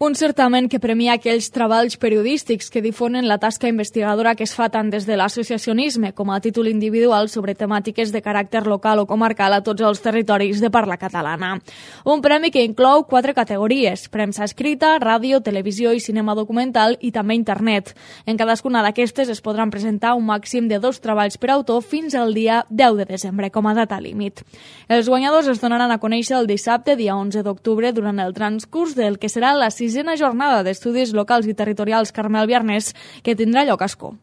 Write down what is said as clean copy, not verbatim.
Un certamen que premia aquells treballs periodístics que difonen la tasca investigadora que es fa tant des de l'associacionisme com a títol individual sobre temàtiques de caràcter local o comarcal a tots els territoris de parla catalana. Un premi que inclou 4 categories: premsa escrita, ràdio, televisió i cinema documental i també internet. En cadascuna d'aquestes es podran presentar un màxim de 2 treballs per autor fins al dia 10 de desembre com a data límit. Els guanyadors es donaran a conèixer el dissabte, dia 11 d'octubre, durant el transcurs del que serà la 6a jornada d'estudis locals i territorials Carmel Biarnés, que tindrà lloc a Ascó.